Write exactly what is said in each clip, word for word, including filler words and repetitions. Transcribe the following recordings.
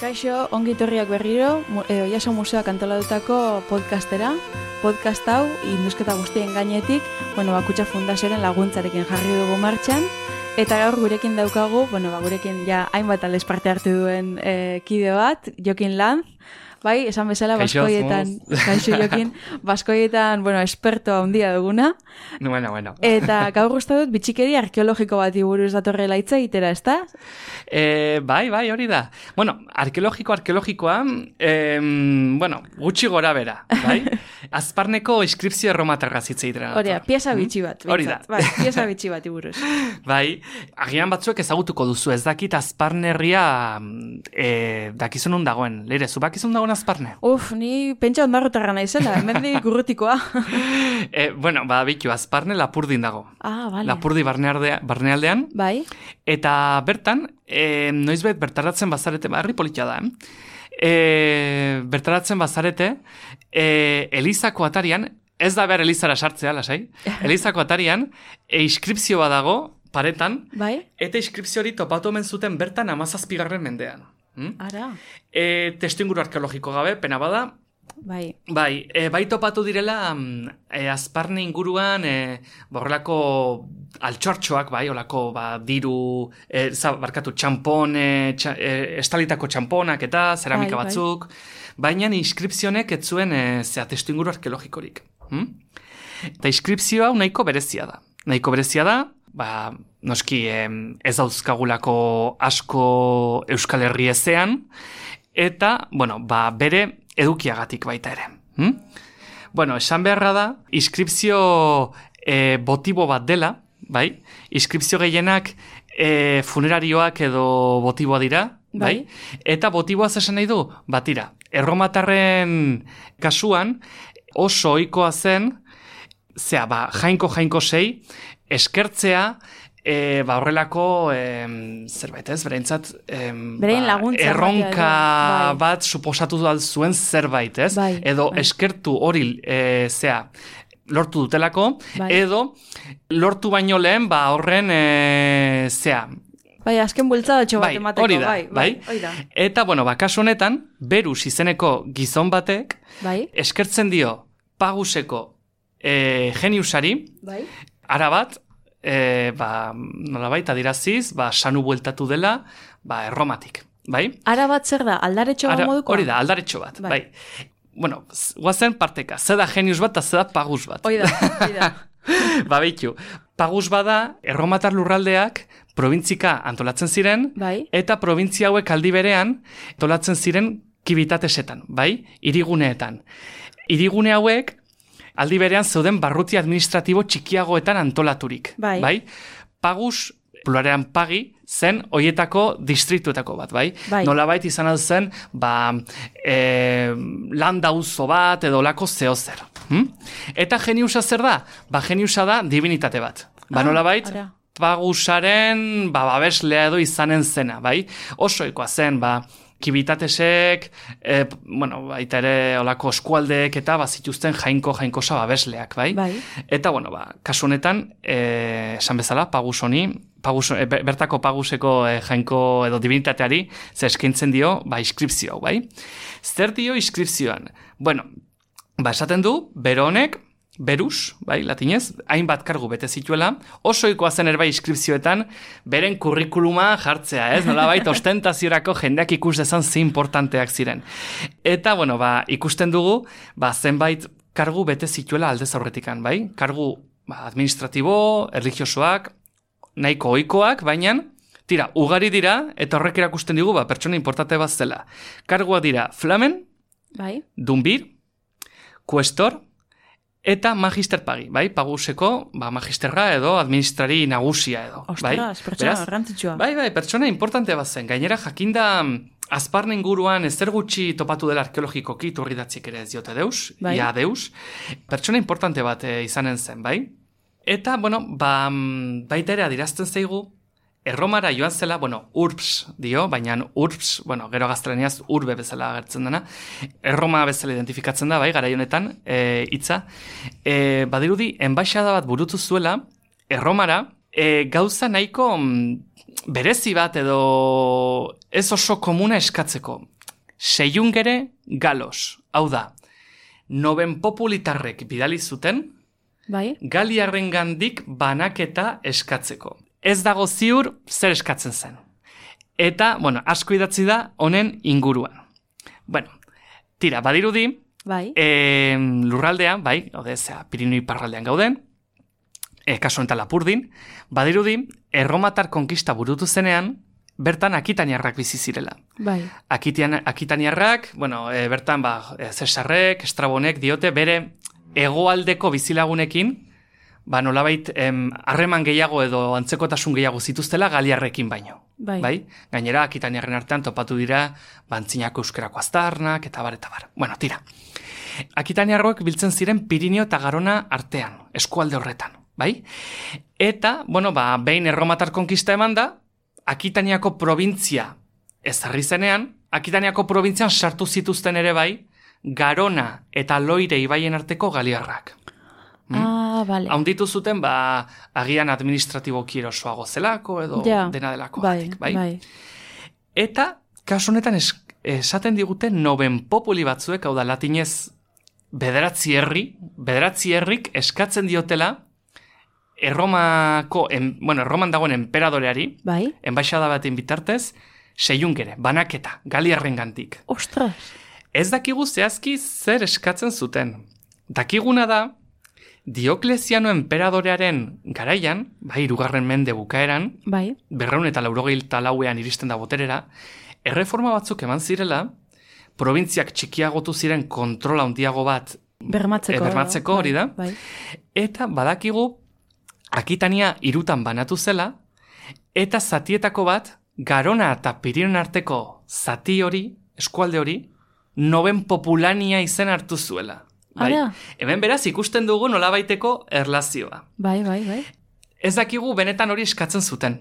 Kaixo, ongi etorriak berriro, e, Oiaso Museoak antolatutako podcastera. Podcast hau, indusketa guztien gainetik, bueno, Bakutxa Fundazioaren laguntzarekin jarri dugu martxan, eta gaur gurekin daukagu, bueno, ba, gurekin ja hainbat aldez parte hartu duen e, kide bat, Jokin Lanz, bai, esan bezala, baskoietan, kaixo Jokin, baskoietan, bueno, esperto handia duguna. Bueno, bueno. Eta gaur uste dut, bitxikeri arkeologiko bati buruz datorrela hitz egitera, ezta? Eh, bai, bai, hori da. Bueno, arkeologiko, arkeologikoa, eh, bueno, gutxi gora bera, bai? Azparneko inskripzio erromatarra hitz egitera. Hori da, pieza bitxi bat. Hori da. Bai, pieza bitxi bati buruz. Bai, agian batzuek ezagutuko duzu, ez dakit Azparnerria eh, dakizun nun dagoen. Leire, zu bakizun dagoen Azparne? Uf, ni pentsa ondarrotarra naizela, hemendik urrutikoa. eh, bueno, ba, bitu, Azparne Lapurdin dago. Ah, vale. Lapurdi barnealdea, barnealdean. Bai. Eta bertan, e, noizbait bertaratzen bazarete, barri politia da, eh? E, bertaratzen bazarete, e, Elizako atarian, ez da behar Elizara sartzea, lasai, Elizako atarian, e, inskripzio bat dago, paretan, bai? Eta inskripzio hori topatu omen zuten bertan amazazpigarren mendean. Hm? Ara. E, testu inguru arkeologiko gabe, pena bada, Bai. Bai, e, bai topatu direla e, Azparne inguruan e, borrelako altxortxoak, bai, olako ba, diru, e, za, barkatu, txampon, e, txa, e, estalitako txamponak eta zeramika bai, batzuk, bai. Baina inskripzionek ez zuen e, zea testu inguru arkeologikorik. Hm? Eta inskripzioa nahiko berezia da. Nahiko berezia da, ba, noski e, ez dauzkagulako asko Euskal Herri ezean, eta, bueno, ba, bere edukiagatik baita ere. Hm? Bueno, esan beharra da, inskripzio e, botibo bat dela, bai? Inskripzio gehienak e, funerarioak edo botiboa dira, bai? bai? Eta botiboa esan nahi du, batira, erromatarren kasuan oso ohikoa zen, zea, ba, jainko-jainko sei, eskertzea, E, ba horrelako e, zerbait ez, berentzat e, ba, erronka bai. bat suposatu dut zuen zerbait ez, bai, edo bai. eskertu hori e, zea, lortu dutelako, bai. Edo lortu baino lehen ba horren e, zea. Bai, azken bultzadatxo bat bai, emateko, hori da, bai, bai, bai. bai. Eta, bueno, ba, kasu honetan, Berus izeneko gizon batek, bai. eskertzen dio Paguseko e, geniusari, bai. arabat, E, ba, nolabait adiraziz, ba, sanu bueltatu dela, ba, erromatik, bai? Ara bat zer da, aldaretxo Ara, moduko? Hori da, aldaretxo bat, bai. bai. Bueno, guazen parteka, ze da genius bat, eta ze da pagus bat. Hoi da, hoi da. Ba, behitu, pagus bada, erromatar lurraldeak, probintzika antolatzen ziren, bai. Eta probintzia hauek aldi berean, antolatzen ziren kibitatesetan, bai? Hiriguneetan. Hirigune hauek, aldi berean zeuden barruti administratibo txikiagoetan antolaturik. Bai. bai? Pagus, pluralean pagi, zen hoietako distrituetako bat, bai? bai. Nolabait izan zen, ba, e, landa auzo bat edo lako zehozer. Hm? Eta geniusa zer da? Ba, geniusa da divinitate bat. Ba, ah, nolabait, ara. Pagusaren ba, babeslea edo izanen zena, bai? Osoikoa zen, ba, kibitatesek, e, bueno, baita ere olako eskualdeek eta bazituzten jainko jainkosa babesleak, bai? bai? Eta, bueno, ba, kasu honetan, e, esan bezala, pagus honi, pagus, e, bertako paguseko e, jainko edo divinitateari, ze eskaintzen dio, ba, inskripzio, bai? Zer dio inskripzioan? Bueno, ba, esaten du, bero honek, Berus, bai, latinez, hainbat kargu bete zituela, oso ikoa zen erbai inskripzioetan, beren kurrikuluma jartzea, ez? Nolabait ostentaziorako jendeak ikus dezan ze importanteak ziren. Eta, bueno, ba, ikusten dugu, ba, zenbait kargu bete zituela aldez aurretikan, bai? Kargu ba, administratibo, erligiosoak, nahiko ohikoak, baina, tira, ugari dira, eta horrek erakusten digu, ba, pertsona importante bat zela. Kargua dira flamen, bai? dunbir, kuestor, eta magister pagi, bai? Paguseko, ba, magisterra edo administrari nagusia edo. Ostras, bai? pertsona garrantzitsua. Bai, bai, pertsona importante bat zen. Gainera, jakinda Azparne inguruan ezer gutxi topatu dela arkeologikoki turridatzik ere ez diote deus, bai? ja deus. Pertsona importante bat e, izanen zen, bai? Eta, bueno, ba, baita ere adirazten zaigu, Erromara joan zela, bueno, urbs dio, baina urbs, bueno, gero gaztelaniaz urbe bezala agertzen dena, Erroma bezala identifikatzen da, bai, garai honetan, e, hitza. E, badirudi, enbaixada bat burutu zuela, Erromara, e, gauza nahiko berezi bat edo ez oso komuna eskatzeko. Seiungere galos, hau da, noben populitarrek bidali zuten, bai. Galiarren gandik banaketa eskatzeko. Ez dago ziur zer eskatzen zen. Eta, bueno, asko idatzi da honen inguruan. Bueno, tira, badirudi, bai. e, lurraldean, bai, ode, zera, Pirinio iparraldean gauden, e, kasu enten Lapurdin, badirudi, erromatar konkista burutu zenean, bertan akitaniarrak bizi zirela. Bai. Akitian, akitaniarrak, bueno, e, bertan, ba, Cesarrek, Estrabonek diote bere hegoaldeko bizilagunekin, ba, nolabait, harreman gehiago edo antzekotasun gehiago zituztela galiarrekin baino. Bai. Bai? Gainera, akitaniarren artean topatu dira, bantzinako euskerako aztarnak, eta bar, eta bar. Bueno, tira. Akitaniarroek biltzen ziren Pirinio eta Garona artean, eskualde horretan, bai? Eta, bueno, ba, behin erromatar konkista eman da, Akitaniako probintzia ezarri zenean, Akitaniako probintzian sartu zituzten ere bai, Garona eta Loire ibaien arteko galiarrak. Ah, bale. Haunditu zuten, ba, agian administratiboki erosoago zelako, edo ja, dena delako. Bai, batik, bai? bai. Eta, kasu honetan es, esaten digute noben populi batzuek, hau da latinez, bederatzi herri, bederatzi herrik eskatzen diotela, Erromako, en, bueno, Erroman dagoen enperadoreari, bai. enbaixada baten bitartez, seiungere, banaketa, galiarren gantik. Ostras! Ez dakigu zehazki zer eskatzen zuten. Dakiguna da, Diokleziano enperadorearen garaian, bai, hirugarren mende bukaeran, bai. berreun eta laurogeita lauean iristen da boterera, erreforma batzuk eman zirela, probintziak txikiagotu ziren kontrola handiago bat bermatzeko, e, bermatzeko hori da, bai. Eta badakigu, Akitania hirutan banatu zela, eta zatietako bat, Garona eta Pirinoen arteko zati hori, eskualde hori, noben populania izen hartu zuela. Bai? Ara. Hemen beraz ikusten dugu nolabaiteko erlazioa. Bai, bai, bai. Ez dakigu benetan hori eskatzen zuten.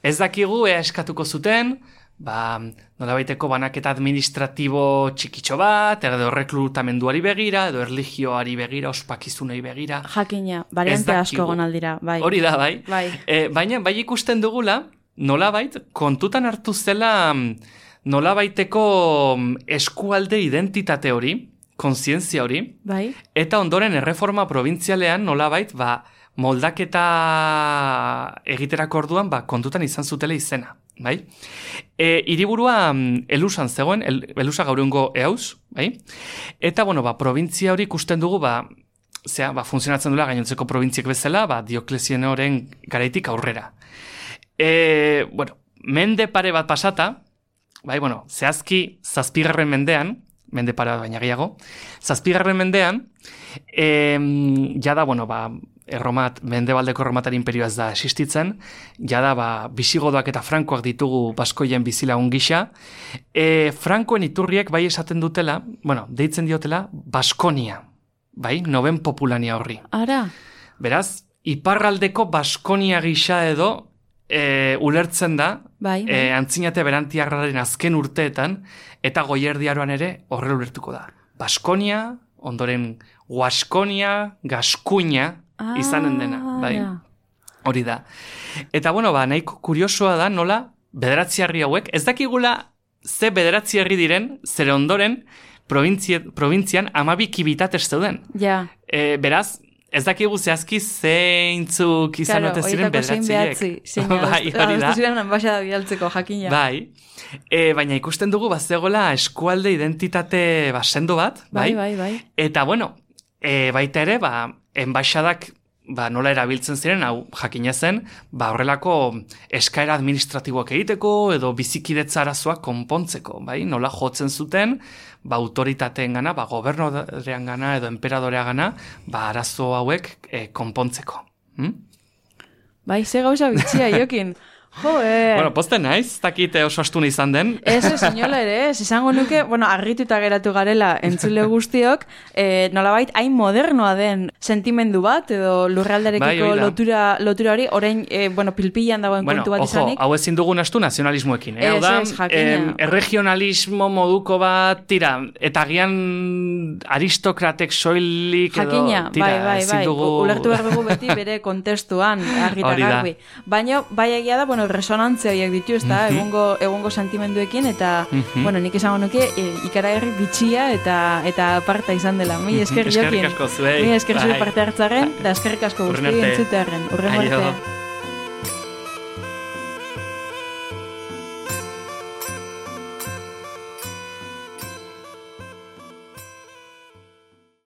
Ez dakigu ea eskatuko zuten, ba, nolabaiteko banaketa administratibo txikitxo bat, edo reklutamenduari begira, edo erligioari begira, ospakizunei begira. Jakina, variante asko gonaldira, bai. Hori da, bai. Bai. E, baina, bai ikusten dugula, nolabait, kontutan hartu zela nolabaiteko eskualde identitate hori, kontzientzia hori, bai. Eta ondoren erreforma probintzialean nolabait, ba, moldaketa egiterako orduan, ba, kontutan izan zutela izena, bai? E, hiriburua Elusan zegoen, el, Elusa gaurungo eauz, bai? Eta, bueno, ba, probintzia hori ikusten dugu, ba, zera, ba, funtzionatzen duela gainontzeko probintziek bezala, ba, Dioklezianoren garaitik aurrera. E, bueno, mende pare bat pasata, bai, bueno, zehazki zazpigarren mendean, mende pare bat baina gehiago, zazpigarren mendean, e, jada, bueno, ba, erromat, mendebaldeko erromatar imperioa ez da existitzen, jada, ba, bisigodoak eta frankoak ditugu baskoien bizilagun gisa, e, frankoen iturriek bai esaten dutela, bueno, deitzen diotela, Baskonia, bai, noben populania horri. Ara. Beraz, iparraldeko Baskonia gisa edo, E, ulertzen da, bai, bai. E, antzinate berantiarraren azken urteetan, eta goierdiaroan ere horrela ulertuko da. Baskonia, ondoren Guaskonia, Gaskuña, ah, izanen dena, bai. Ja. Hori da. Eta, bueno, ba, nahiko kuriosoa da, nola, bederatzi herri hauek, ez dakigula ze bederatzi herri diren, zere ondoren, probintzian amabi kibitatez zeuden. Ja. E, beraz, ez dakigu zehazki zeintzuk izan claro, ote ziren bederatziek. Bai, hori da. Ziren enbaixada bialtzeko, jakina. Bai, e, baina ikusten dugu bazegoela eskualde identitate ba, sendo bat. Bai, bai, bai. bai. Eta bueno, e, baita ere, ba, enbaixadak ba, nola erabiltzen ziren, hau jakina zen, ba, horrelako eskaera administratiboak egiteko edo bizikidetza arazoak konpontzeko, bai? Nola jotzen zuten, ba, autoritateen gana, ba, gobernorean gana edo enperadorea gana, ba, arazo hauek e, konpontzeko. Hm? Bai, ze gauza bitxia, Jokin. Joe. Bueno, posten naiz, dakite oso astuna izan den. Ez, ez, inola ere, ez, izango nuke, bueno, argituta geratu garela entzule guztiok, eh, nolabait, hain modernoa den sentimendu bat, edo lurraldarekiko bai, lotura, lotura hori, orain, eh, bueno, pilpilan dagoen bueno, kontu bat ojo, izanik. hau ezin dugun astu nazionalismoekin, eh? Ez, Hau da, ez, jakina. em, erregionalismo moduko bat, tira, eta gian aristokratek soilik, edo, Jakina, tira, bai, bai, ezin bai, dugu... ulertu behar dugu beti bere kontestuan, argita Hori da. garbi. Baina, bai egia da, bueno, resonantzia horiek ditu, ezta, Mhm. egungo, egungo sentimenduekin, eta, Mhm. bueno, nik esango nuke, e, ikaragarri bitxia eta eta aparta izan dela. Mi esker Eskerrik jokin. asko zuei. Mi esker zure Bai. parte hartzaren, eta eskerrik asko Urren guzti arte. entzutearen. Urren Aio. arte.